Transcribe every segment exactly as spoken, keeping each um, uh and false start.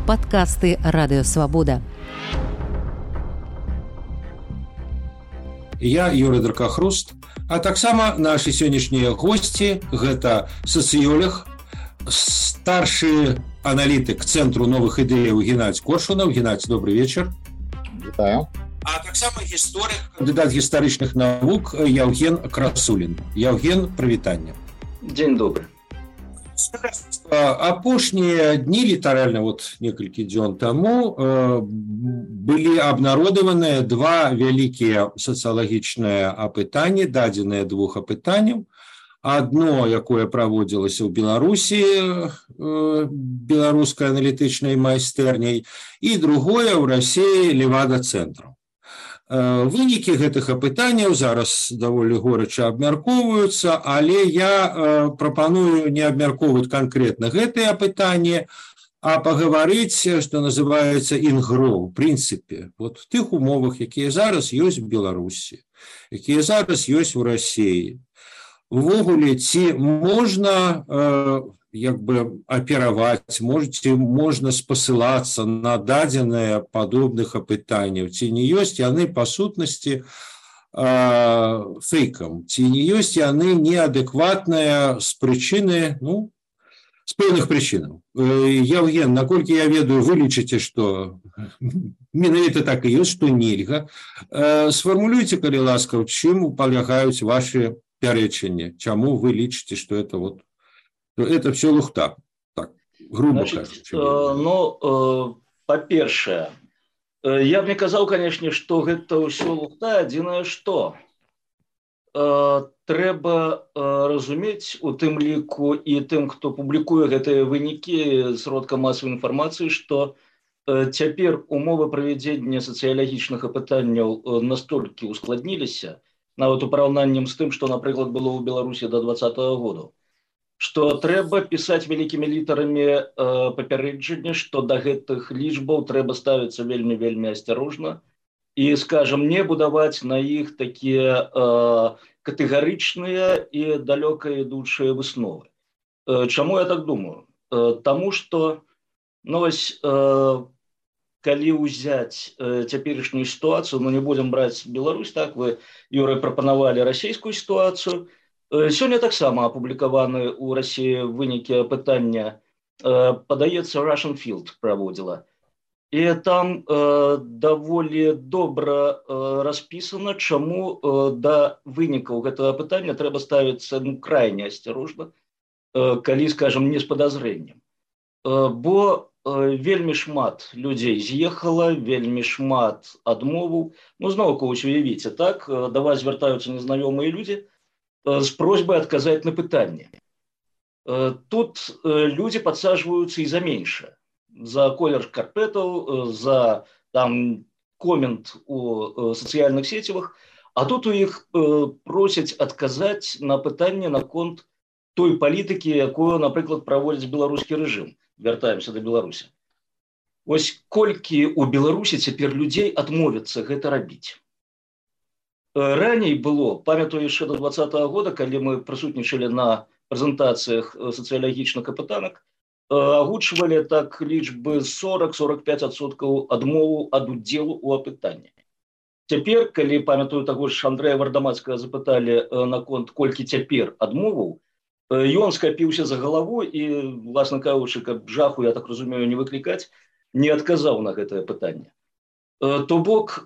Падкасты Радыёвабода. Я Юрый Дракахруст, а таксама нашы сённяшнія госці гэта сацыёлог, старшы аналітык Цэнтру новых ідэяў Геннадзь Коршунов. Геннадзь, добрый вечер. Вітаю. А таксама гісторык, кандыдат гістарычных навук Яўген Красулін. Яўген, прывітанне. Дзень добры. Апошнія дні, літаральна вот некалькі дзён таму, былі абнародаваныя два вялікія сацыялагічныя апытанні, дадзеныя двух апытанняў. Адно, якое праводзілася ў Беларусі беларускай аналітычнай майстэрняй, і другое ў Расіі Левада-цэнтру. Вынікі гэтых апытанняў зараз даволі горача абмяркоўваюцца, але я прапаную не абмяркоўваць канкрэтна гэтыя апытанні, а пагаварыць, што называецца інгро, у прынцыпе, вот в тых умовах, якія зараз ёсць у Беларусі, якія зараз ёсць у Расіі. Увогуле, ці можна э, як бы апераваць, можете, можна спасылацца на дадзеныя падобных апытанняў, ці не ёсць яны па сутнасці э, фейкам, ці не ёсць яны неадэкватныя з прычыны, ну, з пэўных прычынаў. Э, Яўген, наколькі я ведаю, вы лічыце, што менавіта так і ёсць, што нельга. Э, сфармулюйце, калі ласка, чым палягаюць ваши пярэчанне, чаму вы лічыце, што это вот это все лухта, так, грубо кажучи. Э, ну, э, па-першае, э, я б не казаў, канешне, што гэта ўсё лухта, адзінае што э, трэба э, разумець у тым ліку і тым, хто публікуе гэтыя вынікі сродка масавай інфармацыі, што э, цяпер умовы правядзення сацыялагічных апытанняў э, настолькі ускладніліся, нават у параўнанні з тым, што, напрыклад, было ў Беларусі да двадцатага году, што трэба пісаць вялікімі літарамі э, папярэджанне, што да гэтых лічбаў трэба ставіцца вельмі-вельмі асцярожна і, скажам, не будаваць на іх такія э, катэгарычныя і далёка ідучыя высновы. Э, чаму я так думаю? Э, таму што, ну, вось, э, калі ўзяць э, цяперашнюю сітуацыю, ну не будзем браць Беларусь, так, вы, Юрый, прапанавалі расійскую сітуацыю. Э, сёння таксама апублікаваны ў Расіі вынікі апытання, э, падаецца, Russian Field праводзіла. І там э, даволі добра э, распісана, чаму э, да вынікаў гэтага апытання трэба ставіцца, ну, крайне асцярожна, э, калі, скажам, не з падазрэннем. Э, бо вельмі шмат людзей з'ехала, вельмі шмат адмоваў. Ну, зноўку, вось уявіце, так, да вас звяртаюцца незнаёмыя людзі з просьбай адказаць на пытанне. Тут людзі падсаджваюцца і за меншае. За колер шкарпэтаў, за там комент у сацыяльных сецівах, а тут у іх просяць адказаць на пытанне наконт той палітыкі, якую, напрыклад, праводзіць беларускі рэжым. Вяртаемся да Беларусі. Вось колькі ў Беларусі цяпер людзей адмовяцца гэта рабіць. Раней было, памятаю яшчэ да двадцатага года, калі мы прысутнічалі на прэзентацыях сацыялагічных апытанак, агучвалі так лічбы сорок — сорок пяць адсоткаў адмову ад удзелу ў апытанні. Цяпер, калі, памятаю, таго ж Андрэя Вардамацкага запыталі наконт колькі цяпер адмоваў, ён скапіўся за галаву і, власна кажучы, каб жаху, я так разумею, не выклікаць, не адказаў на гэтае пытанне. То бок,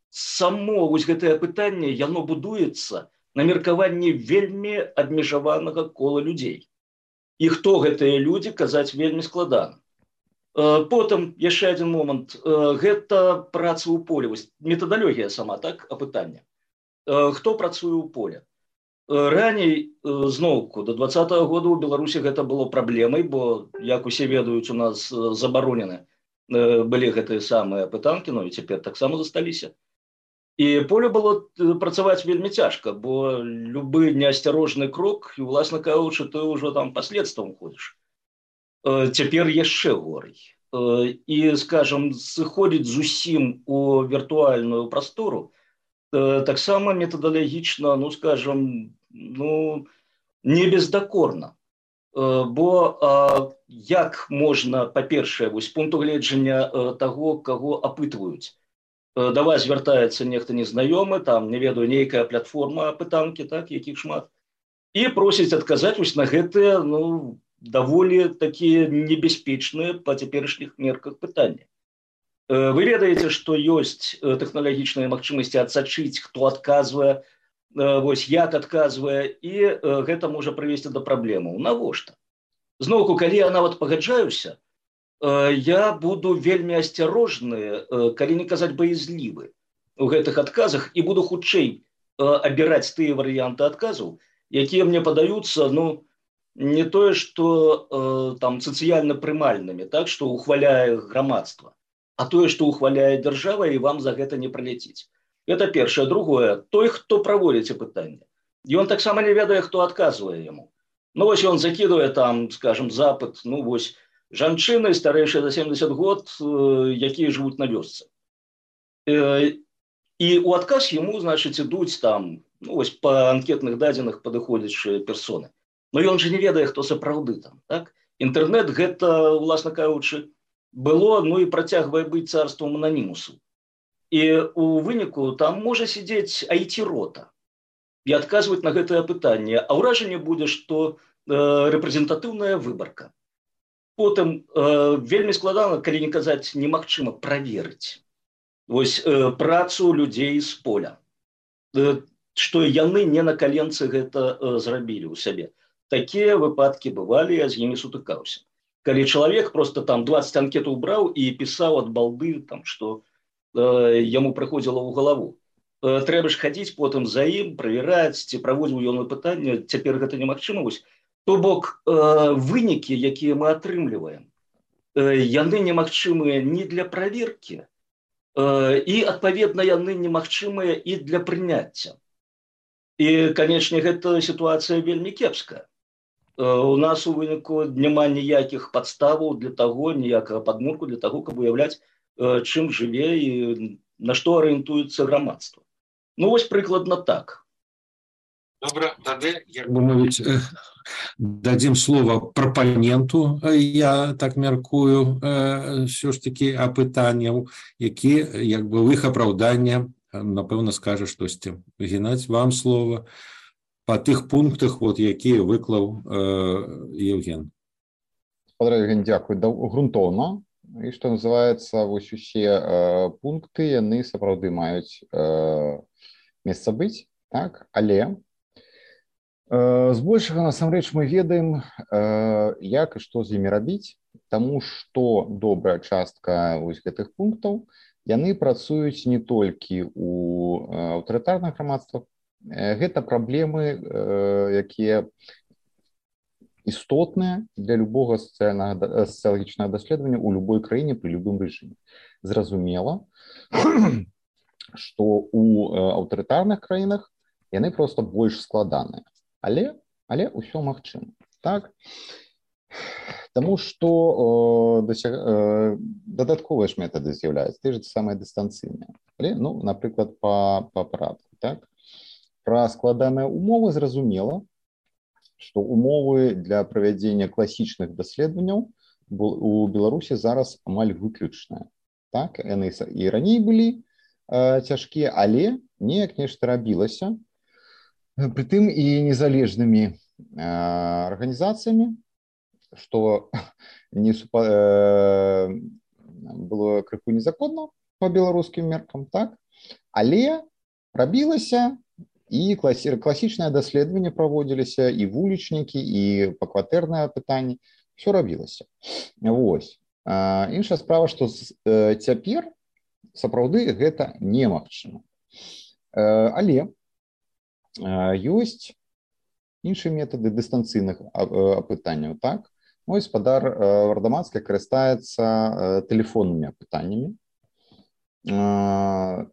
само вось гэтае пытанне, яно будуецца на меркаванні вельмі абмежаванага кола людзей. І хто гэтыя людзі, казаць вельмі складана. Потым, яшчэ адзін момант, гэта праца ў поле, вось метадалогія сама, так, апытання. Хто працуе ў поле? Раней, зноўку, до двадцатага года ў Беларусі гэта было праблемай, бо, як усе ведаюць, у нас забаронены былі гэтыя самыя апытанкі, ну і цяпер таксама засталіся. І поле было працаваць вельмі цяжка, бо любы неасцярожны крок, і, уласна кажучы, ты ўжо там паследствам ходзіш. Цяпер яшчэ горай. І, скажам, сыходзіць зусім у віртуальную прастору, таксама метадалагічна, ну, скажам, ну, не бездакорна. Бо як можна, па-першае, вось з пункту гледжання таго, каго апытваюць, да вас звяртаецца нехта незнаёмы, там, не ведаю, нейкая платформа апытанкі, так, якіх шмат, і просіць адказаць вось на гэтыя, ну, даволі такія небяспечныя па цяперашніх мерках пытання. Вы ведаеце, што ёсць тэхналагічныя магчымасці адсачыць, хто адказвае, вось як адказвае, і гэта можа прывесці да праблемаў. Навошта? Зноўку, калі я нават пагаджаюся, я буду вельмі асцярожны, калі не казаць баязлівы у гэтых адказах, і буду хутчэй абіраць тыя варыянты адказаў, якія мне падаюцца, ну, не тое, што там сацыяльна прымальнымі, так, што ухваляе грамадства, а тое, што ухваляе дзяржава, і вам за гэта не праляціць. Это першае. Другое, той, хто праводзіць пытанне, ён таксама не ведае, хто адказвае яму. Ну, вось ён закідвае там, скажем, запыт, ну, вось, жанчыны, старэйшыя за семьдесят год, якія жывуць на вёсцы. І ў адказ яму, значыць, ідуць там, ну, вось, па анкетных дадзеных падыходзячыя персоны. Но ён жа не ведае, хто сапраўды там, так? Інтэрнэт гэта, уласна кажучы, было, ну, і працягвае быць царствам ананімусу. І у выніку там можа сидзець ай ти-рота і адказваць на гэтае пытанне, а ўражанне будзе, што э, рэпрэзентатыўная выбарка. Потым э, вельмі складана, калі не казаць немагчыма, праверыць вось э, працу людзей з поля, э, што яны не на каленцы гэта э, зрабілі ў сябе. Такія выпадкі бывалі, я з імі сутыкаўся. Калі чалавек просто там двадцать анкетаў браў і пісаў ад балды, там, што яму прыходзіла ў галаву. Трэба ж хадзіць потым за ім, правяраць, ці праводзіў ён пытанне, цяпер гэта немагчыма. То бок, вынікі, якія мы атрымліваем, яны немагчымыя не для праверкі, і, адпаведна, яны немагчымыя і для прыняцця. І, канечне, гэта сітуацыя вельмі кепская. У нас у выніку няма ніякіх падставаў для таго, ніякага падмурку для таго, каб уяўляць, чым жыве і на што арыентуецца грамадства. Ну, вось прыкладна так. Добра, тады, як бы мовіць, дадзім слова прапаненту, я так мяркую, ўсё ж такі апытанняў, які, як бы, в іх апраўдання, напэўна, скажа штосьці. Геннадзь, вам слова па тых пунктах, вот, якія выклаў Евген. Спадар Евген, дзякуй. Грунтоўна. І што называецца, вось усе э, пункты, яны сапраўды маюць э, месца быць, так? Але э, збольшага, насамрэч, мы ведаем, э, як і што з імі рабіць, таму што добрая частка вось гэтых пунктаў, яны працуюць не толькі ў э, аўтарытарных грамадствах, э, гэта праблемы, э, якія істотныя для любого сацыялагічнага даследавання ў любой краіне пры любым рэжыме. Зразумела, што ў аўтарытарных краінах яны проста больш складаныя. Але, але ўсё магчыма. Так? Таму што э, досяг... э, дадатковыя ж метады з'яўляюцца, ты ж самыя дыстанцыйныя. Але, ну, напрыклад, па, па парадку. Так? Пра складаныя умовы зразумела, што умовы для правядзення класічных даследаванняў у Беларусі зараз амаль выключныя. Так, яны і раней былі э, цяжкія, але неяк нешта рабілася. Прытым і незалежнымі э, арганізацыямі, што не супа, э, было крыху незаконна па беларускім меркам, так? Але рабілася, і класічнае даследаванне праводзіліся, і вулічнікі, і пакватэрнае пытанне, все рабілася. Вось. А, іншая справа, што э, цяпер сапраўды гэта немагчыма. Э, але э, ёсць іншыя метады дыстанцыйных апытанняў, так? Мой спадар э, Вардаманская карыстаецца э, тэлефоннымі апытаннямі. Э,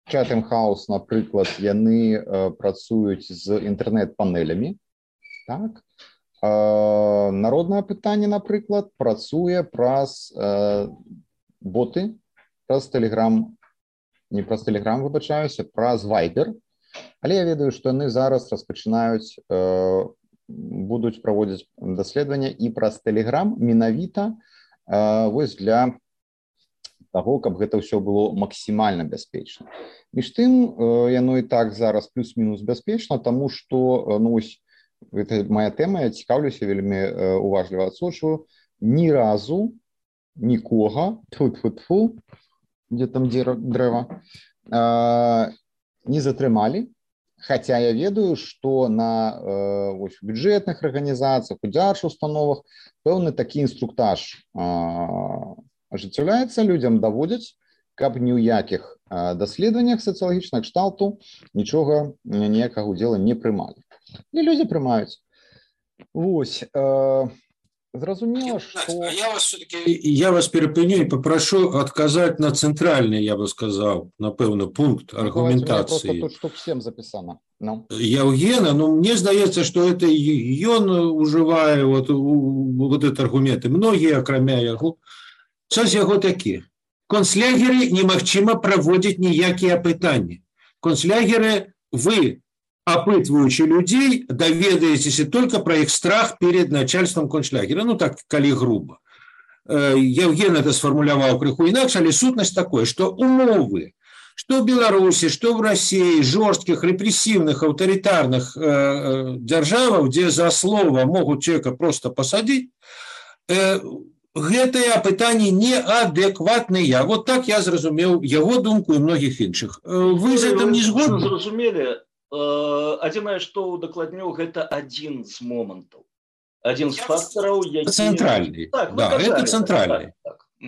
Chatham House, напрыклад, яны э, працуюць з інтэрнэт-панелямі. Так? Э, народнае пытанне, напрыклад, працуе праз э, боты, праз Telegram, не праз Telegram, выбачаюся, праз Viber. Але я ведаю, што яны зараз распачынаюць э, будуць праводзіць даследавання і праз Telegram менавіта вось для таго, каб гэта ўсё было максімальна бяспечна. Між тым, яно і так зараз плюс-мінус бяспечна, таму што, ну вось, гэта моя тэма, я цікаўлюся, вельмі уважліва адсочваю, ні разу нікога, тьфу-тьфу-тьфу, дзе там дрэва, не затрымалі. Хотя я ведаю, што на э, вось, бюджэтных арганізацыях, у дзяржаўных установах пэўны такі інструктаж э, ажыццяўляецца, людзям даводзяць, каб ні ў якіх э, даследаваннях сацыялагічных кшталту нічога, ніякага ўдзела не прымалі. І людзі прымаюць. Вось. Э, Зразумела, что... Я вас все-таки, я вас перепыню и попрошу отказать на центральный, я бы сказал, напевно, пункт аргументации. Просто тут штук всем записано. No. Евгена, ну, мне сдается, что это он уживает вот, вот этот аргумент. И многие, кроме его, сейчас его такие. Концлягеры немагчыма проводить никакие опытания. Концлягеры вы... опытываючи людей, доведаетесь только про их страх перед начальством концлагеря. Ну, так, коли грубо. Евген это сформулировал крыху иначе, але сутность такой, что умовы, что в Беларуси, что в России, жестких, репрессивных, авторитарных э, державах, где за слово могут человека просто посадить, э, гэтые опытания неадекватные. Вот так я зразумел его думку и многих інших. Вы з этим не згодны? Зразумели. Адзінае, што удакладню, гэта адзін з момантаў. Адзін з фактараў, які... Цэнтральны. Так, да, гэта цэнтральны. Так, так.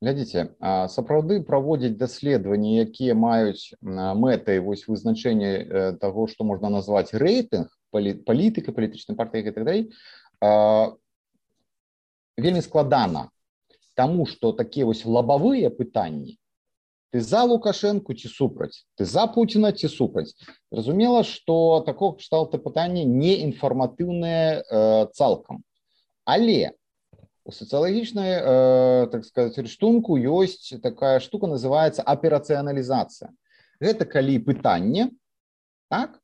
Глядзіце, сапраўды праводзіць даследаванні, якія маюць мэтай вось вызначэння таго, што можна назваць рэйтынг, палітыка, палітычнай партыі і так далей, вельмі складана. Таму што такія вось лабавыя пытанні, ты за Лукашенко ці супраць, ты за Путіна ці супраць. Зразумела, што такога кшталту пытанні не інфарматыўнае э, цалкам. Але у сацыялагічнай, э, так сказаць, рыштунку ёсць такая штука, называецца аперацыяналізацыя. Гэта калі пытанне, так,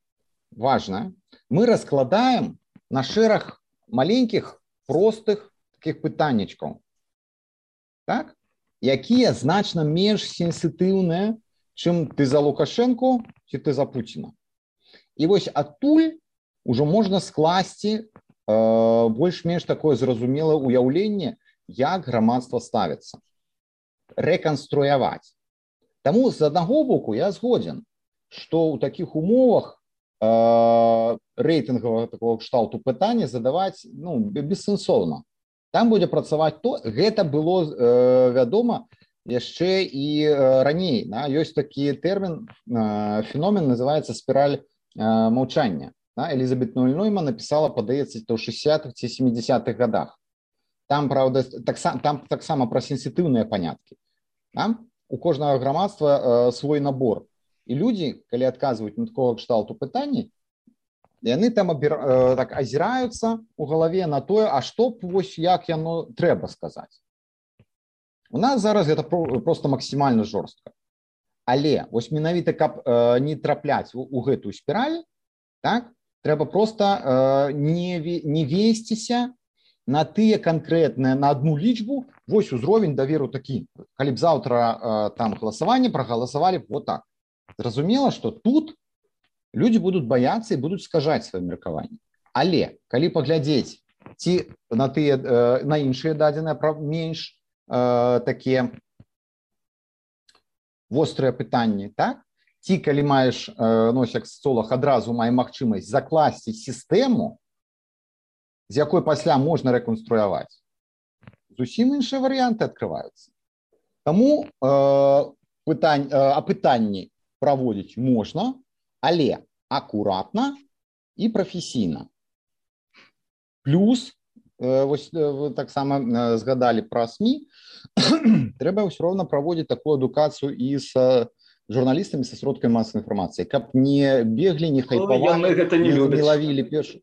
важнае, мы раскладаем на шэраг маленькіх, простых такіх пытаннячкаў. Так? Якія значна менш сенсітыўныя, чым ты за Лукашенко ці ты за Пуціна. І вось адтуль ужо можна скласці э, больш-менш такое зразумелае ўяўленне, як грамадства ставіцца. Рэканструяваць. Таму з аднаго боку я згодзен, што ў такіх умовах э, рэйтынгавага такого кшталту пытання задаваць ну, бессэнсоўна. Там будзе працаваць то, гэта было э, вядома яшчэ і э, раней. Да? Ёсць такі тэрмін, э, феномен, называецца спіраль э, маўчання. Да? Элізабет Нойман напісала, падаецца, то ў шэсцідзятых ці сямідзясятых годах. Там, правда, таксама так, так пра сенсітыўныя паняткі. Да? У кожнага грамадства э, свой набор. І людзі, калі адказваюць на такога кшталту пытанні, яны там абір, э, так азіраюцца ў галаве на тое, а што б вось як яно трэба сказаць. У нас зараз гэта про, просто максімальна жорстка. Але вось менавіта, каб э, не трапляць у, у гэтую спіраль, так, трэба проста э, не, не весціся на тыя канкрэтныя, на адну лічбу, вось узровень даверу такі. Калі б заўтра э, там галасаванне прагаласавалі вот так. Зразумела, што тут людзі будуць баяцца і будуць скажаць сваё меркаванне. Але калі паглядзець ці на тыя э, на іншыя дадзеныя менш э, такія вострыя пытанні, так? Ці калі маеш э, ну, як соцолог адразу мае магчымасць закласці сістэму, з якой пасля можна рэканструяваць, зусім іншыя варыянты адкрываюцца. Таму э, пытань, э, апытанні праводзіць можна, але акуратна і прафесійна. Плюс, э, вось вы таксама э, згадалі пра СМІ, трэба ўсё роўна праводзіць такую адукацыю і з журналістамі, са сродкамі масавай інфармацыі, каб не беглі, не хайпавалі, не, не лавілі першы.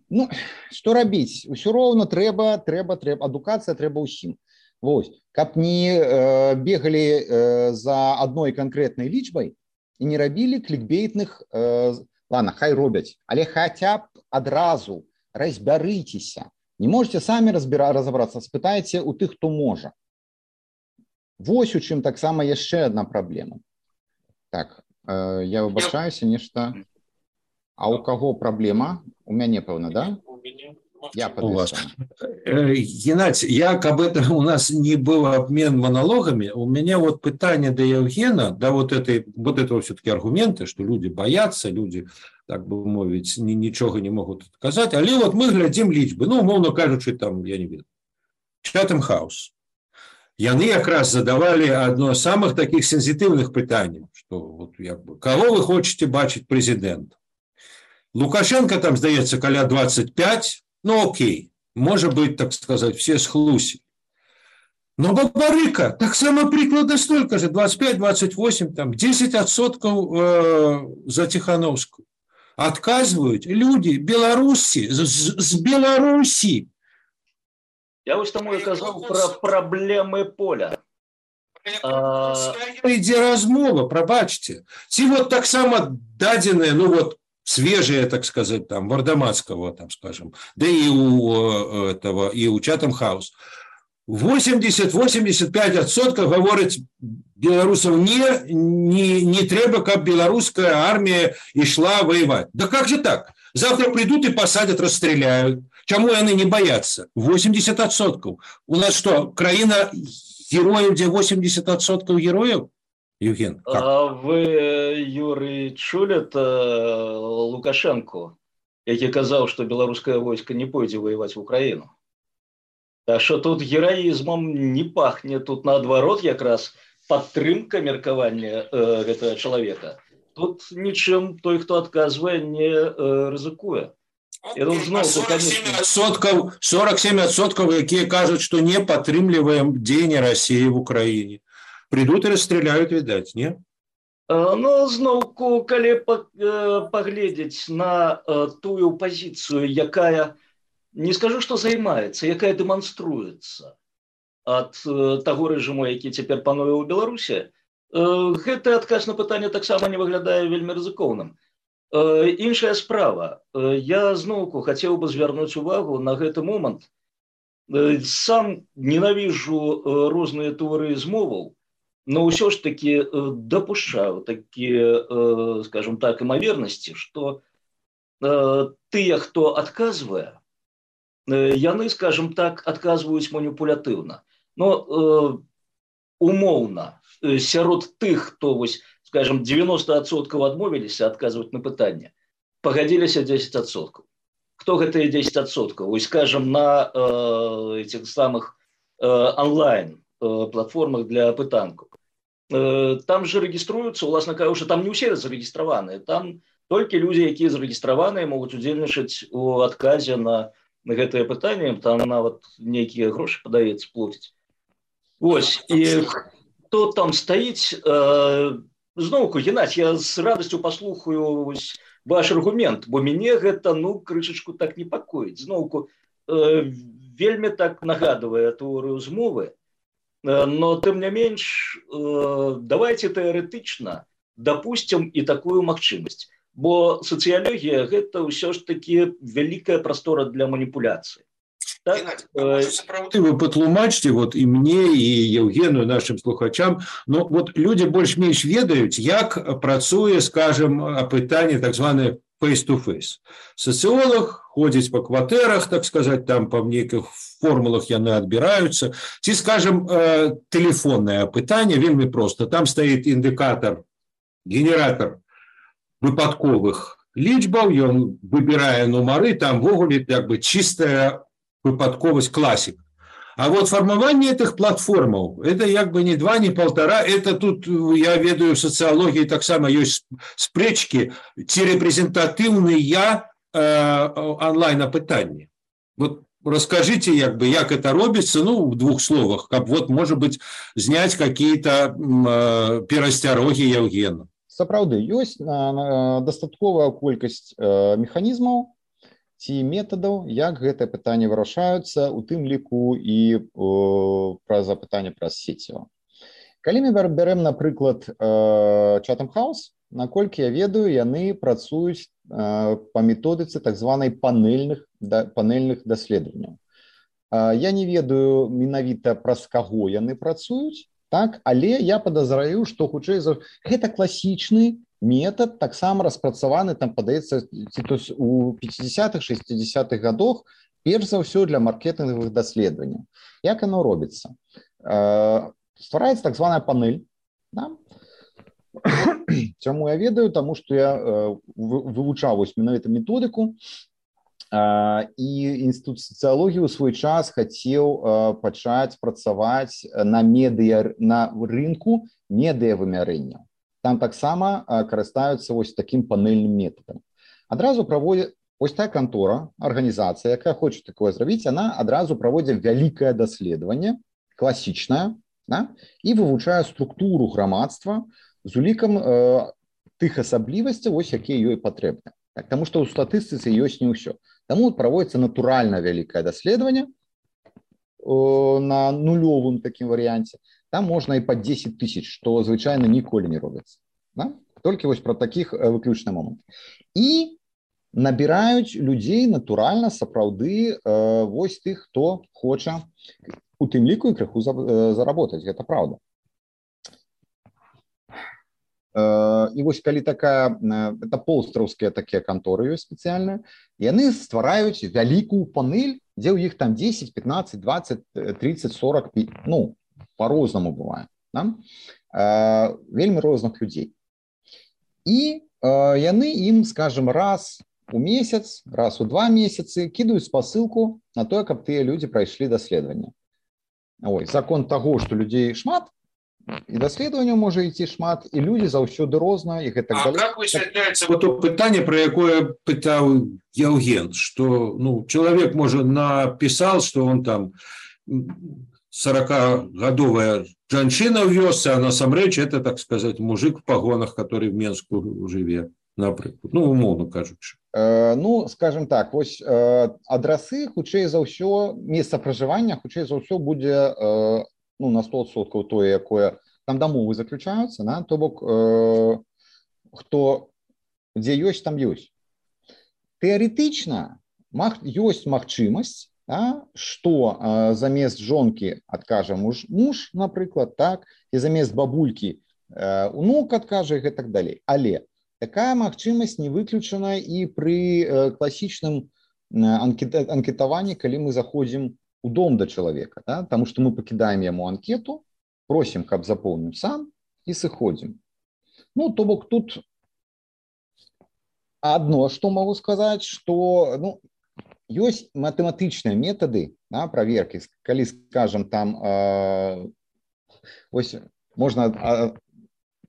Ну, што рабіць? Усё роўна трэба, трэба, трэба, адукацыя трэба ўсім. Вось, каб не э, бегалі э, за адной канкрэтнай лічбай, і не рабілі клікбейтных, э, ладно, хай робяць, але хаця б адразу разбярыцеся. Не можете самі разбіра, разобрацца, спытайце у тых, хто можа. Вось у чым таксама яшчэ одна праблема. Так, э, я выбачаюся, нешта. А у каго праблема? У мяне, пэўна, да? У мяне. Я у вас. Геннадий, я, как бы это у нас не был обмен монологами, у меня вот питание до Евгена, да, вот, этой, вот этого все-таки аргументы, что люди боятся, люди, так бы мовить, ничего не могут сказать, але вот мы глядим лічбы, ну, умовно кажучи, там, я не виду, Chatham House. Яны как раз задавали одно из самых таких сенситивных питаний, что вот, я, кого вы хотите бачить президента? Лукашенко там, здаецца, каля двадцать пять, ну окей, может быть, так сказать, все схлусили. Но Бабарыка так само прикладно столько же, двадцать пять двадцать восемь, там, десять отсотков э, за Тихановскую. Отказывают люди Беларуси, с, с Беларуси. Я вот тому и сказал про проблемы поля. Ідзе размова, прабачце. Ці вот так само дадзеныя, ну вот, свежие, так сказать, там, Вардамацкого, там, скажем, да и у этого, и у Chatham House. восемьдесят - восемьдесят пять отсотков говорят белорусов не, не, не треба, как белорусская армия и шла воевать. Да как же так? Завтра придут и посадят, расстреляют. Чему они не боятся? восемьдесят отсотков. У нас что, краина героев, где восемьдесят отсотков героев? Евген, как? А вы, Юрий, чули Лукашенко, який казав, що білоруське військо не пойде воювати в Україну? Так що тут героїзмом не пахне, тут наоборот якраз підтримка меркавання э, этого человека. Тут нічим той, хто відказує, не э, ризикує. сорок семь отсотков, які кажуть, що не підтримуємо діяння Росії в Україні. Придут и расстреляют, видать, не? Ну, знову, коли поглядеть на ту позицию, якая, не скажу, что займаецца, якая демонструется от того режиму, який теперь пануе ў Беларусі, гэты адказ на пытанне таксама не выглядае вельмі рызыкоўным. Іншая справа. Я зноўку хотел бы звярнуць увагу на гэты момант. Сам ненавижу розныя тэорыі змоваў, но ўсё ж таки допускаю такие, скажем так, имоверности, что тыя, хто отказывае, яны, скажем так, отказываюць маніпулятыўна. Но умоўна, сярод тых, хто, скажем, девяносто отсотков адмовіліся отказывать на пытанне, пагадзіліся десять отсотков. Кто гэтыя десять отсотков? Скажем, на этих самых онлайн платформах для пытанков. Там же региструются, уласна кажучы, там не ўсе зарэгістраваныя, там толькі людзі, якія зарэгістраваныя, могуць удзельнічаць у адказе на, на гэтае пытанне, там нават нейкія грошы, падаецца, плоціць. Вось, і хто там стаіць, э, зноўку, Геннадзь, я з радасцю паслухаю вось ваш аргумент, бо мяне гэта, ну, крышачку так непакоіць. Зноўку, э, вельмі так нагадвае тэорыю змовы. Но, тем не менш, давайте теоретично допустим и такую магчымасць. Бо социология – это все ж таки великая простора для манипуляции. Так? Сапраўды вы патлумачце вот и мне, и Евгену, и нашим слухачам, но вот люди больш-менш ведаюць, як працуе, скажем, апытанне так званое face-to-face. Социолог ходит по кватэрах, так сказать, там по нейкіх формулах яны адбіраюцца. Ці, скажем, э, телефонное апытанне вельмі просто. Там стоит индикатор, генератор выпадковых лічбаў, ён выбірае нумары, там ввогуле как бы чистая выпадковость, классик. А вот формование этих платформов, это как бы не два, не полтора, это тут, я ведаю, в социологии так само есть спречки, ці репрезентативные э, онлайн-опытания. Вот расскажите, как бы, как это робится, ну, в двух словах, как вот, может быть, снять какие-то э, перасцярогі Евгена. Сапраўды, ёсць дастатковая колькасць э, механізмаў ці метадаў, як гэтае пытанне вырашаюцца, у тым ліку і э, праз запытанне праз сеціва. Калі мы бярем, напрыклад, Chatham House, наколькі я ведаю, яны працуюць па методыцы так званай панельных, панельных даследаванняў. Я не ведаю менавіта праз каго яны працуюць, так, але я падазраю, што хутчэй за гэта класічны метад, таксама распрацаваны, там падаецца, ці то у пяцідзясятых шэсцідзясятых гадах, перш за ўсё для маркетынгавых даследаванняў. Як оно робіцца? Ствараецца так званая панель. Да? Чаму я ведаю? Таму што я вывучаў менавіта методыку, і інстытут сацыялогіі ў свой час хацеў пачаць працаваць на медыа, на рынку медыавымярэнняў. Там таксама карыстаюцца вось такім панельным метадам. Адразу праводзіць вось тая кантора, арганізацыя, якая хоча такое зрабіць, яна адразу праводзіць вялікае даследаванне, класічнае, да? І вывучае структуру грамадства з улікам э, тых асаблівасцяў, вось якія ёй патрэбны. Так, таму што ў статыстыцы ёсць не ўсё. Таму праводзіцца натуральна вялікае даследаванне э, на нулёвым такім варыянце. Там можна і па дзесяць тысяч, што звычайна ніколі не робіцца. Да? Толькі вось пра такіх э, выключны момант. І набіраюць людзей натуральна, сапраўды, э, вось тых, хто хоча у тым ліку і крыху заработаць, гэта праўда. І вось калі такая, это полстраўскія такія канторы ёсць спецыяльныя, яны ствараюць вялікую панель, дзе ў іх там дзесяць, пятнаццаць, дваццаць, тридцать, сорок, ну, по-рознаму бывае, да? Вельмі розных людзей. І яны ім, скажем, раз у месяц, раз у два месяцы кідаюць спасылку на тое, каб тыя людзі прайшлі даследаванне. Ой, закон таго, што людзей шмат, і даследаванняў можа ісці шмат, і людзі заўсёды розныя, і гэтак далей. А как высвятляецца вот то пытанне, про якое пытаў Яўген, што ну, чалавек, можа, напісаў, што он там сорокагадовая жанчына ў вёсцы, а насамрэч это, так сказать, мужик в пагонах, который в Менску жыве, напрыклад. Ну, умоўна кажучы. Ну, скажем так, вось адрасы, хутчэй за ўсё, месца пражывання, хутчэй за ўсё будзе ну, на сто адсоткаў тое, якое там дамовы заключаюцца, да? То бок, хто, дзе ёсць, там ёсць. Тэарэтычна ёсць магчымасць, да? Што замест жонкі адкажа муж, муж, напрыклад, так, і замест бабулькі унук адкажа і гэтак далей. Але такая магчымасць не выключана і пры класічным анкетаванні, калі мы заходзім у дом да чалавека, да? Таму што мы пакідаем яму анкету, просім, каб запоўніў сам і сыходзім. Ну, то бок тут адно, што магу сказаць, што ну, ёсць матэматычныя метады, да, праверкі, калі, скажам, там э, ось, можна э,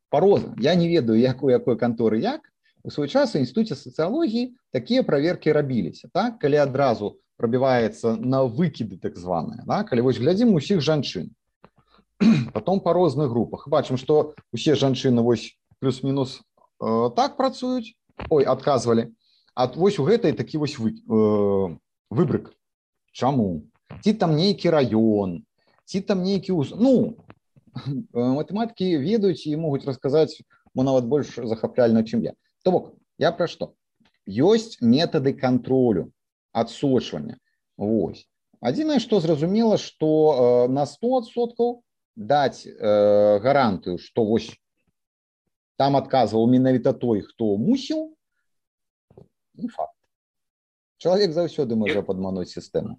пароза, я не ведаю, якой, якой канторы як, у свой час у інстытуце сацыялогіі такія праверкі рабіліся, так? Калі адразу прабіваецца на выкіды так званыя, да? Калі вось глядзім усіх жанчын, потом па розных групах, бачым, што усе жанчыны вось плюс-мінус э, так працуюць, ой, адказвалі, а вось у гэтай такі вось вы, э, выбрык. Чаму? Ці там нейкі раён, ці там нейкі уз... Ну, матэматыкі ведаюць і могуць расказаць мо нават больш захапляльна, чым я. То бок, я пра што? Ёсць метады кантролю, адсочвання. Вось. Адзінае, што зразумела, што э, на сто адсоткаў даць э, гарантыю, што вось там адказваў менавіта той, хто мусіў, не факт. Чалавек заўсёды можа падмануць сістэму.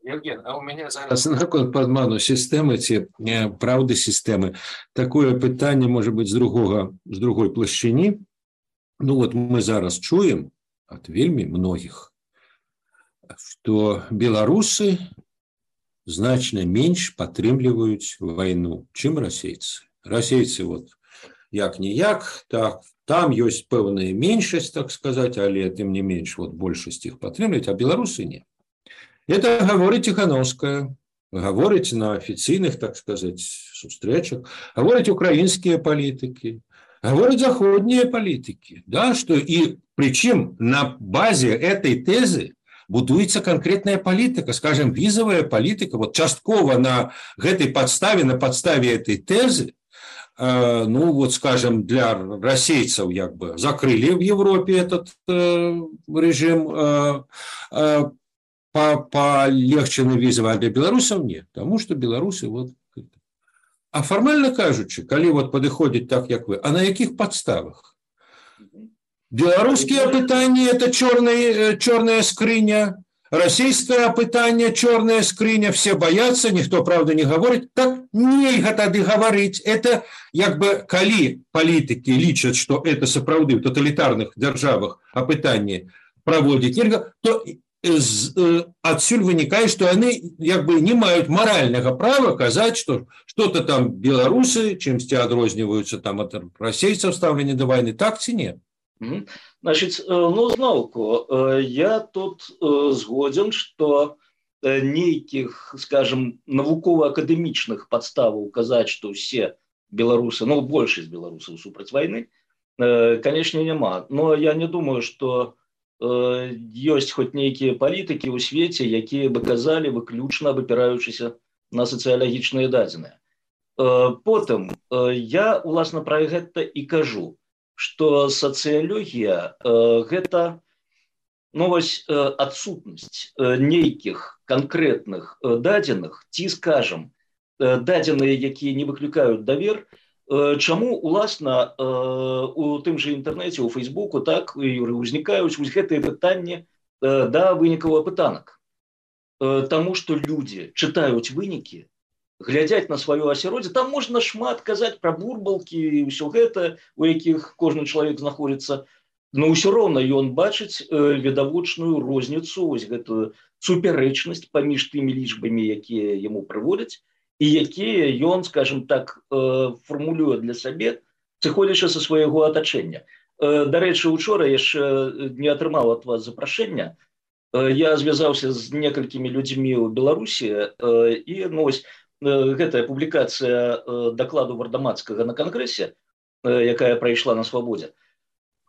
Евген, а у меня зараз наконт падману сістэмы ці праўды сістэмы. Такое пытанне можа быць з другога, з другой плашчыні. Ну вот мы зараз чуем ад вельмі многіх, што беларусы значна менш падтрымліваюць вайну, чым расейцы. Расейцы вот як-ніяк, так, там ёсць пэўная меншасць, так сказаць, але тым не менш вот большасць іх падтрымліваюць, а беларусы не. Это гаворыць Ціхановская, гаворыць на афіцыйных, так сказаць, сустрэчах, гаворыць украінскія палітыкі, гаворыць заходнія палітыкі, да, што і прычым на базе этой тэзы будуецца канкрэтная палітыка, скажем, візавая палітыка, вот часткова на гэтай падставе, на падставе этой тэзы, э, ну вот, скажем, для расейцаў як бы закрыли в Европе этот э, режим, э, э, полегче на візавы, а для беларусаў нет, потому что беларусы вот. А фармальна кажучы, калі вот падыходзіць так, як вы, а на якіх падставах? Белорусские пытания – это черная, черная скрыня, российское пытание – черная скрыня, все боятся, никто, правда, не говорит. Так нельга тады говорить. Это, как бы, коли политики лічат, что это сапраўды в тоталитарных державах опытание проводить нельга, то отсюль вынікае, что они, как бы, не имеют морального права казать, что что-то там белорусы чимсьці адрозніваюцца там от российцев ставлення до войны. Так ці нет? Значит, ну, зноўку, я тут згоден, что нейкіх, скажем, навукова-акадэмічных падставаў казаць, што ўсе беларусы, ну, большасць беларусаў супраць вайны, конечно, няма. Но я не думаю, что ёсць хоць нейкія палітыкі ў свеце, якія бы казалі выключна абапіраючыся на сацыялагічныя дадзеныя. Потым, я, уласна, пра гэта і кажу, что социология э, это, ну, вось, э, отсутность э, нейких конкретных э, дадзеных, ці, скажем, э, дадзеныя, якія не выкликают давер, э, чаму, уласна, э, у тым же интернете, у Фейсбуку, так і ўзнікаюць вось гэтыя пытанні э, да вынікаў апытанак. Э, Таму што людзі чытаюць вынікі, глядзяць на сваё асяроддзе, там можна шмат казаць пра бурбалкі і ўсё гэта, у якіх кожны чалавек знаходзіцца, но ўсё роўна ён бачыць э, відавочную розніцу, вось гэтую супярэчнасць паміж тымі лічбамі, якія яму прыводзяць, і якія ён, скажем так, э, фармулюе для сабе, сыходзячы са свайго атачэння. Э, Дарэчы, учора яшчэ не атрымаў ад вас запрашэння, э, я звязаўся з некалькімі людзьмі ў Беларусі, э, і, ну, вось, гэтая публікацыя дакладу Вардамацкага на кангрэсе, якая прайшла на Свабодзе,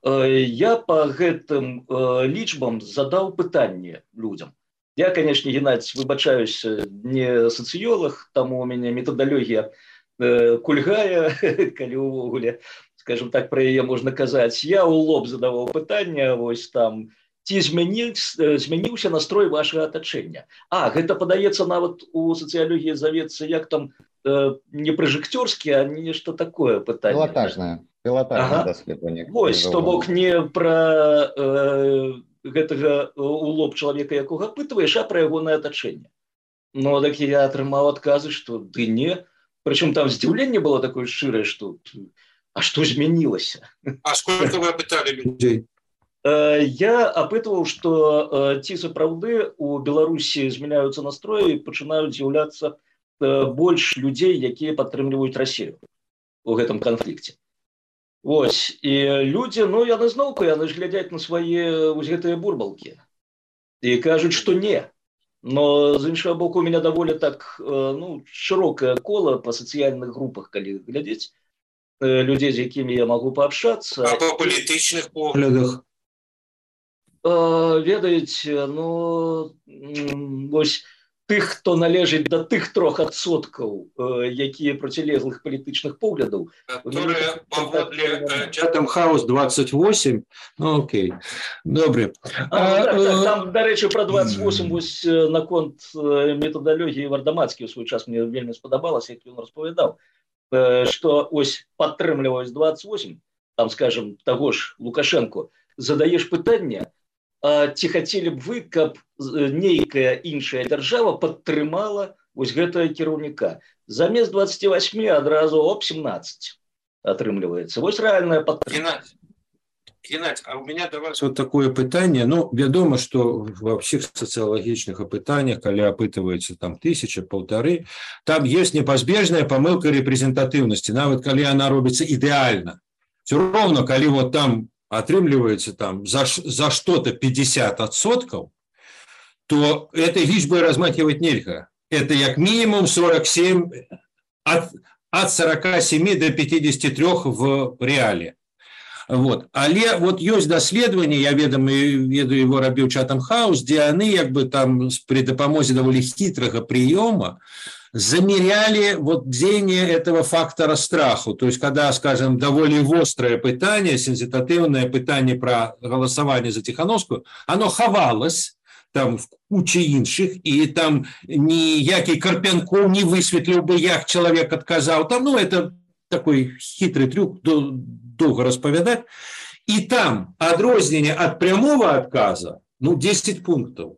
я по гэтым лічбам задаў пытанне людзям. Я, конечно, Геннадзь, выбачаюсь, не сацыёлог, таму у мяне метадалогія кульгае, калі ўвогуле, скажем так, пра яе можна казаць. Я ў лоб задаваў пытанне, вось там, ці змяніўся настрой вашага атачэння. А, гэта падаецца нават у сацыялогіі завецца, як там, э, не пражэктёрскі, а нешта такое пытанне. Пілатажнае, пілатажнае ага. даследаванне. Вось, то бок не пра э, гэтага у лоб чалавека, якога апытваеш, а пра ягонае атачэнне. Ну, так я атрымаў адказы, што ды не. Прычым там здзіўленне было такое шчырае, што а што змянілася? А сколько вы апыталі людзей? Я апытваў, што ці сапраўды у Беларусі змяняюцца настроі і пачынаюць з'яўляцца больш людзей, якія падтрымліваюць Расію у гэтым канфлікце. Вось, і людзі, ну, яны зноўку, яны ж глядзяць на свае вось гэтыя бурбалкі і кажуць, што не. Но, з іншага боку, у мяне даволі так, ну, шырокае кола па сацыяльных групах, калі глядзець, людзей, з якімі я магу паабшацца. А па палітычных поглядах? Ведаеце, ну, вось тых, хто належыць да тых трох адсоткаў, якія процілеглых палітычных поглядаў. Которые паводле Chatham House двадцать восемь, ну окей, добре. А, а, так, так, там, дарэчы, пра двадцать восемь вось наконт метадалогіі Вардамацкі ў свой час мне вельмі спадабалася, як ён распавядаў, што ось падтрымліваюць двадцать восемь, там, скажем, таго ж Лукашенко, задаеш пытанне, ці хацелі б вы, каб нейкая іншая дзяржава падтрымала вось гэтага кіраўніка. Замест двадцать восемь адразу оп семнадцать атрымліваецца. Вось рэальная падтрымка. Геннадзь, а у меня до вас вот такое пытанне. Ну, вядома, что во всех социологических опытаниях, когда опытывается там тысяча, полторы, там есть непозбежная помылка репрезентативности. Нават когда она робится идеально. Все равно, когда вот там атрымліваецца там за, за что-то пятьдесят адсоткаў, то этой лічбой размахивать нельга. Это як минимум сорок семь, от, от сорока семи до пятидесяти трёх в реале. Вот. Але вот ёсць даследаванне, я ведам, ведаю, его рабіў Chatham House, дзе яны як бы там при дапамозе даволі хітрага прыёма замеряли вот дзеяние этого фактора страху. То есть, когда, скажем, довольно острое пытание, сенситативное пытание про голосование за Тихановскую, оно хавалось там в куче іншых, и там ніякий Карпянков не высветлил бы, як человек отказал. Там, ну, это такой хитрый трюк, долго расповедать. И там отрознение от прямого отказа, ну, десять пунктов.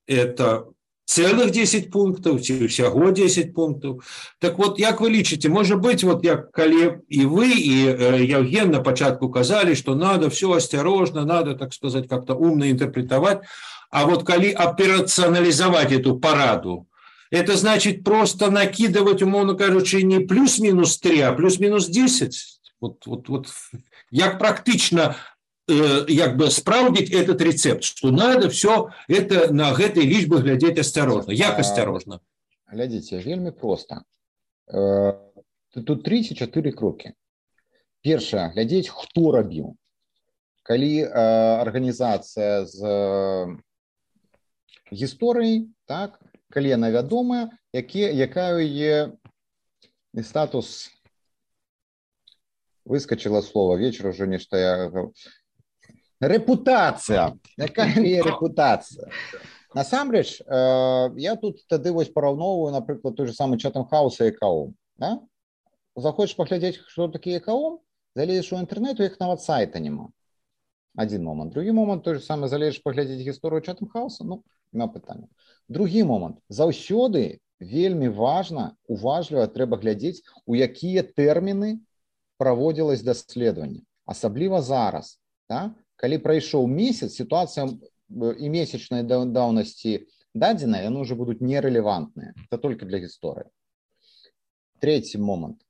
Это целых десять пунктов, ці ўсяго десять пунктов. Так вот, як вы лічыце, может быть, вот як калі и вы, и э, Евген на початку казали, что надо все осторожно, надо, так сказать, как-то умно интерпретовать, а вот калі операционализовать эту параду, это значит просто накидывать, умовно кажучи, не плюс-минус три, а плюс-минус десять. Вот, вот, вот, як практично як бы спраўдзіць этот рецепт, что надо все это на гэтай лічбы глядзець осторожно. Як осторожно? Глядзіце, вельмі проста. Тут три ці чатыры крокі. Першае, глядзець, хто рабіў. Калі арганізацыя з гісторыяй, так, калі яна вядомая, якая яе статус, выскочило слово, вечер уже нешта я... Репутація. Якая є репутація? Насамрэч, э, я тут тады вось параўноўваю, напрыклад, той же самы Chatham House і ЭКОМ. Да? Захочаш паглядзець, што такі ЭКОМ, залезеш у інтэрнэт, у іх нават сайта няма. Адзін момант. Другі момант, той же самы, залезеш паглядзець гісторыю Chatham House, ну, няма пытання. Другі момант. Заўсёды вельмі важна, уважліва трэба глядзець, у якія тэрміны праводзілось даследаванне. Асабліва зараз, да? Калі прайшоў месяц, ситуация и месячной давности дадзеныя, яны уже будут нерелевантныя. Это только для гісторыі. Третий момент.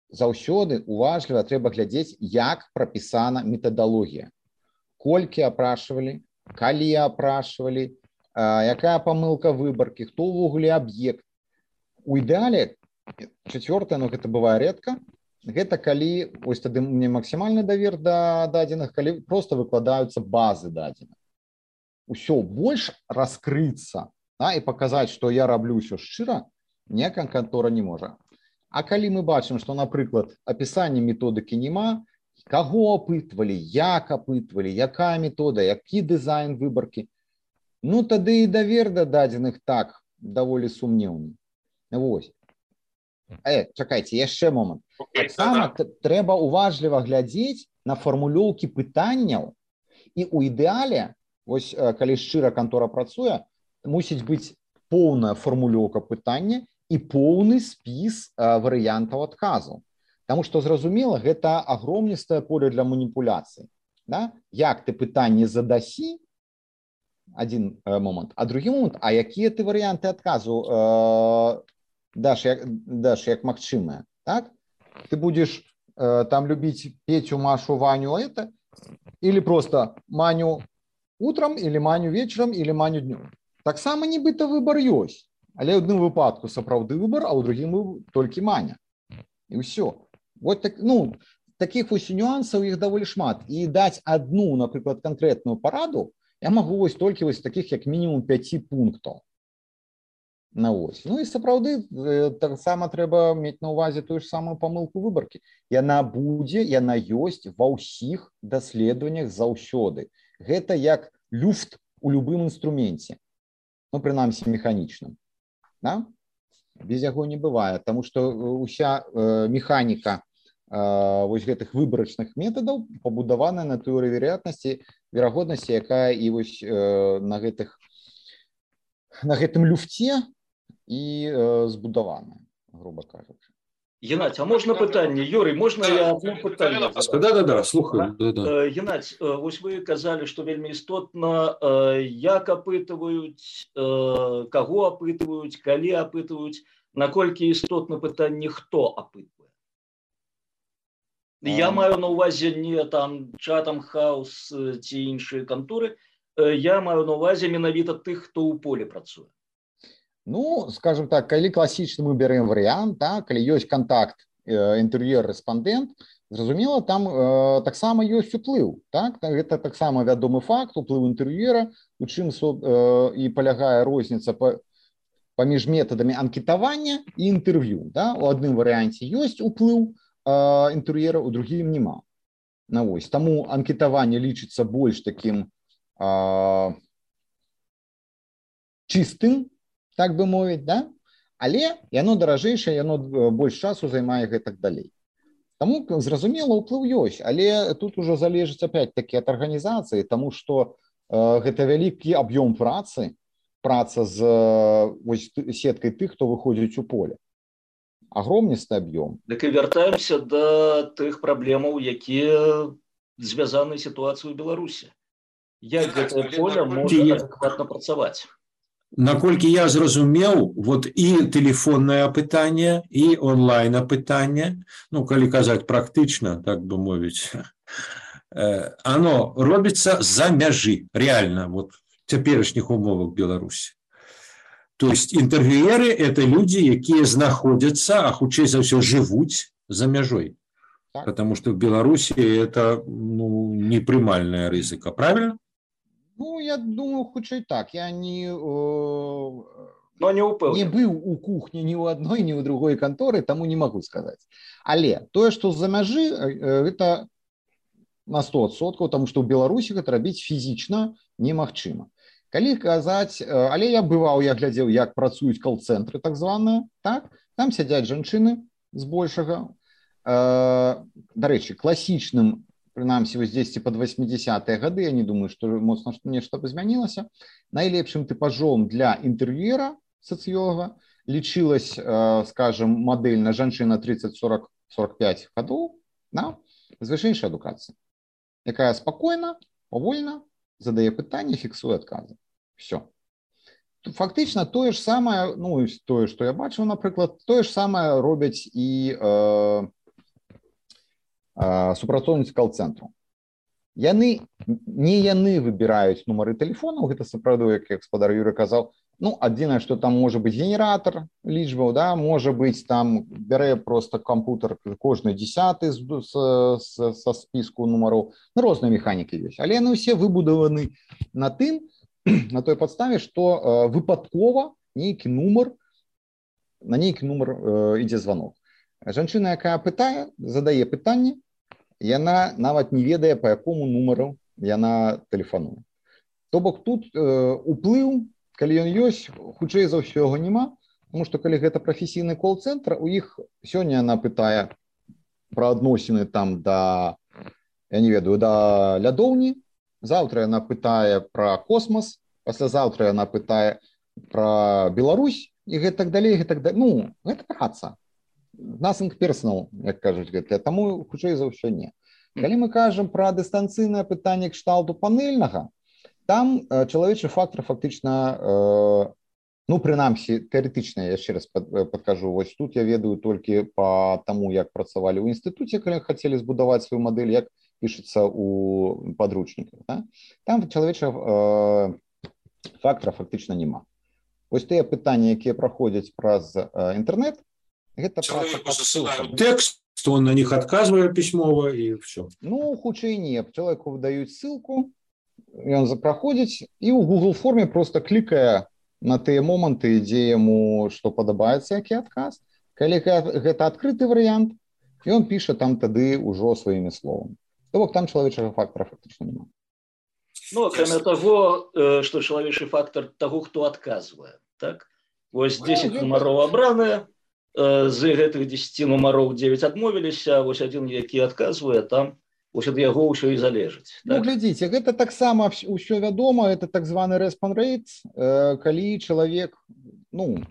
Заўсёды уважліва трэба глядзець, як прапісана метадалогія. Колькі апрашивалі, калі апрашивалі, якая памылка выбаркі, хто ўвогуле аб'ект. У ідэале, четвертое, но гэта бывае редко, гэта калі, ось тады мне максімальны давер да дадзеных, калі просто выкладаюцца базы дадзеных. Усё, больш раскрыцца, да, і паказаць, што я раблю ўсё шчыра, ніякая кантора не можа. А калі мы бачым, што, напрыклад, апісання методыкі няма, каго апытвалі, як апытвалі, якая метода, які дызайн выбаркі, ну тады і давер да дадзеных так даволі сумнеўны. Вось. Э, чакайце, яшчэ момант. Таксама трэба уважліва глядзець на фармулёўкі пытанняў, і ў ідэале, вось калі шчыра кантора працуе, мусіць быць поўная фармулёўка пытання і поўны спіс варыянтаў адказу. Таму што, зразумела, гэта агромністае поле для маніпуляцый. Да? Як ты пытанне задасі, адзін момант, а другі момант, а якія ты варыянты адказу э, даш, як, даш як магчымыя, так? Ты будешь э, там любить Петю, Машу, Ваню, это, или просто Маню утром, или Маню вечером, или Маню днем. Таксама нібыта выбор ёсць, але ў адным выпадку сапраўды выбор, а ў другім толькі Маня. І ўсё. Вот так, ну, таких вось нюансаў іх даволі шмат. І даць одну, напрыклад, конкретную параду я могу вось толькі вось таких як мінімум пяти пунктаў. На ось. Ну і сапраўды таксама трэба мець на ўвазе тую ж самую памылку выбаркі. Яна будзе, яна ёсць ва ўсіх даследаваннях заўсёды. Гэта як люфт у любым інструменце. Ну, прынамсі, механічным. Да? Без яго не бывае, таму што ўся э, механіка э, вось гэтых выбарачных метадаў пабудаваная на тэорыі верагоднасці, верагоднасці, якая і вось э, на гэтых на гэтым люфце і э, збудаваная, грубо кажучы. Геннадзь, а можна пытанне? Юрий, можна я одно пытанне? Да-да-да, слухаю. Да, да. Геннадзь, вось вы казалі, што вельмі істотна, як апытваюць, каго апытваюць, калі апытваюць, наколькі істотна пытанне, хто апытвае? Я маю на ўвазе не там Chatham House ці іншыя канторы, я маю на ўвазе менавіта тых, хто ў полі працуе. Ну, скажем так, калі класічны мы бярэм варыянт, да, калі ёсць контакт, інтэр'ер-рэспандэнт, Зразумела, там э, таксама ёсць уплыў, так? Гэта таксама вядомы факт, уплыў інтэр'ера, у чым э, і палягае розніца па, паміж метадамі анкетавання і інтэрв'ю. Да? У адным варыянце ёсць уплыў э, інтэр'ера, у другім няма. На вось. Таму анкетаванне лічыцца больш такім э, чыстым, так бы мовіць, да? Але яно даражэйшае, яно больш часу займае гэтак далей. Таму, зразумела, уплыў ёсць, але тут ужо залежыць опять-таки ад арганізацыі, таму што э, гэта вялікі аб'ём працы, праца з вось, сеткай тых, хто выходзіць у поле. Агромністы аб'ём. Дык і вяртаемся да тых праблемаў, якія звязаны з сітуацыяй у Беларусі. Як гэтае поле можа адэкватна працаваць? Наколькі я зразумеў, вот і тэлефоннае апытанне, і онлайн апытанне, ну, калі казаць практычна, так бы мовіць, оно робіцца за мяжы, реально, вот в цяперашніх умовах Беларусі. То есть інтэрв'юеры – это люди, якія знаходзяцца, а хутчэй за ўсё жывуць за мяжой. Так. Потому что в Беларусі это ну, непрымальная рызыка, правильно? Ну, я думаю, хутчэй так. Я не, э, Но не, не быў у кухні ні ў адной, ні ў другой канторы, таму не магу сказаць. Але тое, што з-за мяжы, э, гэта на сто адсоткаў, таму што ў Беларусі гэта рабіць фізічна немагчыма. Калі казаць, э, але я бываў, я глядзеў, як працуюць кол-цэнтры, так званыя, так? Там сядзяць жанчыны збольшага. Э, дарэчы, класічным прынамсі, вось дзесьці пад васьмідзесятыя гады, я не думаю, што моцна нешта б змянілася, найлепшым тыпажом для інтэрв'юера сацыёлага лічылась, э, скажем, мадэльна жанчына тридцать сорок сорок пять гадоў, да? З вышэйшай адукацыі, якая спакойна, павольна задае пытанні, фіксуе адказы. Все. Фактычна тое ж самае, ну, тое, што я бачыў, напрыклад, тое ж самае робяць і э, супрацоўніцы кол-цэнтру. Яны, не яны выбіраюць нумары тэлефонаў, гэта сапраўды, як гаспадар Юрый казаў, ну, адзінае, што там можа быць генератор лічбаў, да, можа быць там, бярэ просто кампутер кожны дзесяты са спіску нумароў, ну, розныя механікі ёсць, але яны ўсе выбудаваны на тым, на той падставе, што э, выпадкова нейкі нумар, на нейкі нумар э, ідзе званок. Жанчына, якая пытае, задае пытанне, яна нават не ведае, па якому нумару яна тэлефануе. То бок тут э, уплыў, калі ён ёсць, хутчэй за ўсё яго няма, тому што калі гэта прафесійны кол-цэнтр, у іх сёння яна пытае пра адносіны там да, я не ведаю, да лядоўні, заўтра яна пытае пра космас, паслязаўтра яна пытае пра Беларусь, і гэтак далей, гэтак далей. Ну, гэта праца. Nothing personal, як кажуць гэта, таму хутчэй за ўсё не. Калі мы кажам пра дыстанцыйнае пытанне кшталту панельнага, там э, чалавечы фактор фактычна, э, ну, прынамсі, тэарэтычна, я яшчэ раз пад, падкажу, вось тут я ведаю толькі па таму, як працавалі ў інстытуце, калі хацелі збудаваць сваю мадэль, як пішацца ў падручніках. Да? Там чалавечы э, фактора фактычна няма. Вось тыя пытанні, якія праходзяць праз э, інтэрнэт, гэта тэкст, он на них адказвае пісьмова і все. Ну, хутчэй не. Чалавеку выдаюць ссылку, ён праходзіць і ў Google форме просто клікае на тыя моманты, дзе яму што падабаецца, які адказ. Калі гэта адкрыты варыянт, ён піша там тады ўжо сваімі словамі. То бок там чалавечага фактора фактычна няма. Ну, акрамя таго, што чалавечы фактор таго, хто адказвае, так? Вось дзесяць нумароў абраныя, з гэтых дзесяці нумароў девять адмовіліся, вось адзін, які адказвае, там вось ад яго ўсё і залежыць. Так? Ну, глядзіце, гэта таксама ўсё вядома, это так званы response rate, калі чалавек, ну,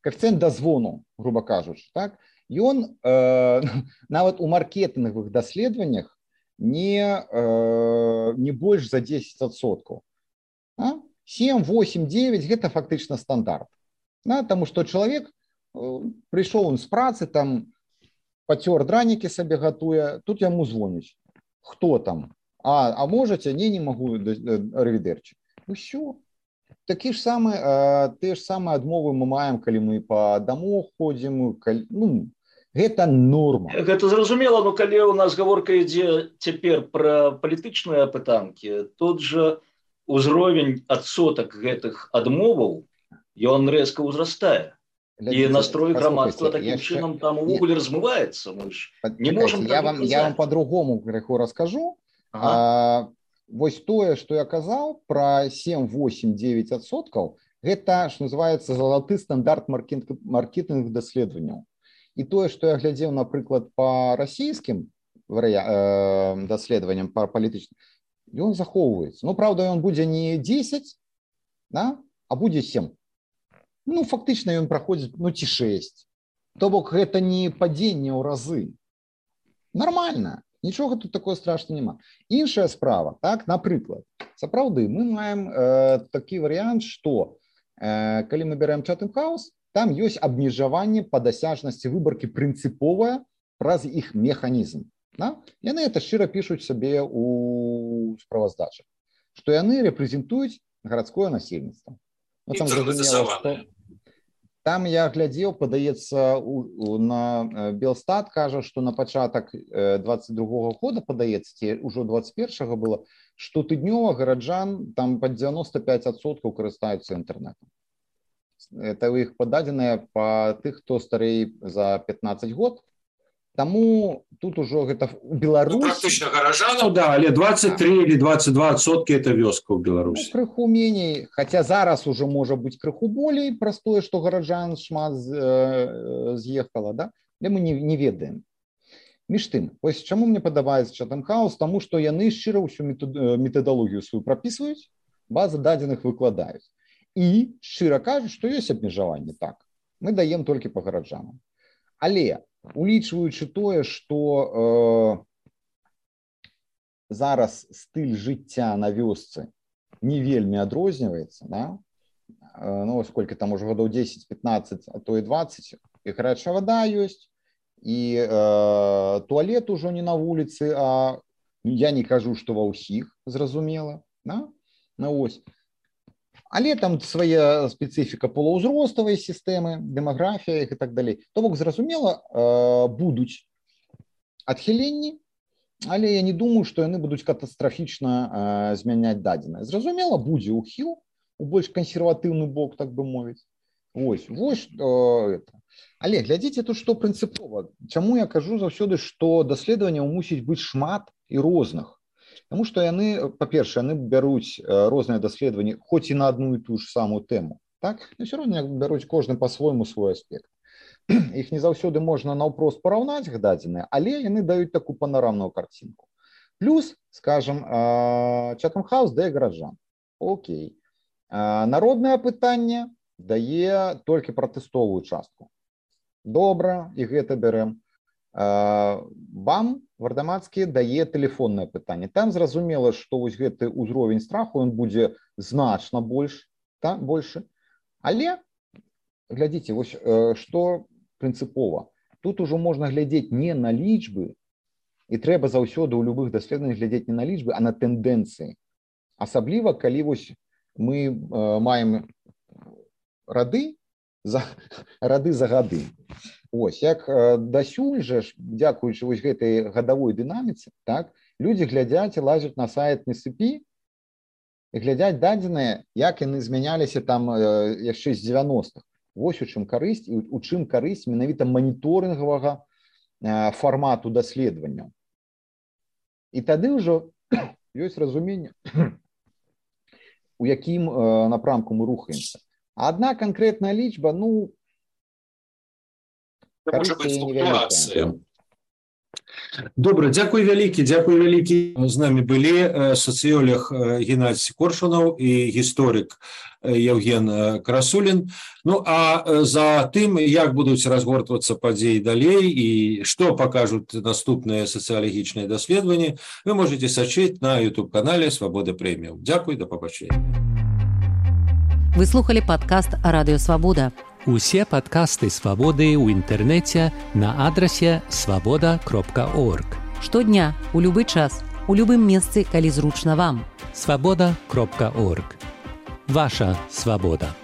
коэфіцыент дазвону, груба кажучы, так, ён э, нават у маркетынгавых даследаваннях не, э, не больш за десять адсоткаў. А? семь, восемь, девять гэта фактычна стандарт. Да? Таму што чалавек прыйшоў он з працы, там пацёр дранікі сабе гатуе, тут яму звоняць. Хто там? А, а можаце? Не, не магу, арывідэрчы. Усё. Такі ж самы, э, тыя ж самыя адмовы мы маем, калі мы па дамоў ходзім, калі, ну, Гэта норма. Гэта зразумела, но калі у нас гаворка ідзе цяпер пра палітычныя пытанкі, тут жа узровень адсотак гэтых адмоваў, ён рэзка ўзрастае. І настрой грамадства такім яшчэ... чынам там увогуле размываецца. Мы ж не можам я вам, я вам по-другому крыху раскажу. Ага. А, вось тое, што я казаў пра сем, восемь, девять адсоткаў, гэта, што называецца, залаты стандарт маркетынг даследаванняў. І тое, што я глядзеў, напрыклад, па расійскім варыя... э, даследаванням па палітычным, ён захоўваецца. Ну, праўда, ён будзе не дзесяць, да? А будзе сем. Ну, фактычна ён праходзіць, ну, ці шэсць. То бок, гэта не падзенне ў разы. Нормальна. Нічога тут такое страшна няма. Іншая справа, так, напрыклад, сапраўды, мы маем э, такі варыянт, што э, калі мы берем Chatham House, там ёсць абмежаванне па дасяжнасці выбаркі прынцыповая праз іх механізм. Да? Яны это шчыра пішуць сабе ў справаздачах, што яны рэпрэзентуюць гарадское насельніцтва. Ну, там, зразумела, што... там я глядзеў, падаецца, у, у, на Белстат кажа, што на пачатак двадцать другога года, падаецца, ці ўжо двадцать першага было, што тыднёва гараджан там пад дзевяноста пяць адсоткаў карыстаюцца інтэрнэтам. Это у іх пададзеныя па тых, хто старэй за пятнаццаць год. Таму тут ужо гэта у Беларусі... Ну, практычна гаражанаў, да, але двадцать три или двадцать два адсоткі это вёска ў Беларусі. Ну, крыху меней, хаця зараз ужо можа быць крыху болей праз тое, што гараджан шмат э, з'ехала, да? Але мы не, не ведаем. Між тым, вось чаму мне падабаецца Chatham House, таму што яны шчыра ўсю метадалогію сваю прапісваюць, базы дадзеных выкладаюць. І шчыра кажуць, што ёсць абмежаванне, так. Мы даем толькі па гараджанам. Але улічваючы тое, што э, зараз стыль жыцця на вёсцы не вельмі адрозніваецца, да? э, ну, сколько там уже гадоў дзесяць пятнаццаць, а то і двадцать, і гарячая вада ёсць, і э, туалет ужо не на вуліцы, а я не кажу, што ва ўсіх, зразумела, да? Ну, ось. Але там свая спецыфіка полаўзроставай сістэмы, дэмаграфія і так далей. То бок, зразумела, будуць адхіленні, але я не думаю, што яны будуць катастрафічна змяняць дадзенае. Зразумела, будзе ўхіл у больш кансерватыўны бок, так бы мовіць. Вось, вось это. Але глядзіце тут, што прынцыпова. Чаму я кажу заўсёды, што даследаванняў мусіць быць шмат і розных. Таму што яны, па-першае, яны бяруць розныя даследаванні, хоць і на одну і ту ж самую тэму, так? Но ўсё роўна бяруць кожны па-свойму свой аспект. Іх не заўсёды можна наўпрост параўнаць дадзеныя, але яны даюць такую панарамную карцінку. Плюс, скажем, Chatham House дае гараджан. Окей. Народнае пытанне дае толькі пратэстовую частку. Добра, і гэта бярэм. Бам Вардамацкі дае тэлефоннае пытанне. Там зразумела, што вось гэты ўзровень страху ён будзе значна больш, та, большы. Але глядзіце, вось што прынцыпова. Тут ужо можна глядзець не на лічбы, і трэба заўсёды ў любых даследаваннях глядзець не на лічбы, а на тэндэнцыі. Асабліва, калі вось мы э, маем рады за, рады за гады. Ось, як дасюль жа, дзякуючы вось гэтай гадавой дынаміцы, так, людзі глядзяць і лазяць на сайт НСП і глядзяць дадзеныя, як яны змяняліся там яшчэ з дзевяностых. Вось у чым карысць, і у чым карысць менавіта маніторынгавага фармату даследавання. І тады ўжо ёсць разуменне, у якім напрамку мы рухаемся. А адна канкрэтная лічба, ну, Можа быць флуктуацыя. Добра, дзякуй вялікі, дзякуй вялікі. З намі былі сацыёлог Геннадзь Коршунаў і гісторык Евген Красулін. Ну, а за тым, як будуць разгортвацца падзеі далей і што пакажуць наступныя сацыялагічныя даследаванні, вы можете сачыць на ютуб-канале Свабода Прэміум. Дзякуй, да пабачэння. Вы слухали падкаст «Радыё Свабода». Усе падкасты «Свабоды» ў інтэрнэце на адрасе свабода кропка орг. Штодня, у любы час, у любым месцы, калі зручна вам. свабода кропка орг. Ваша свабода.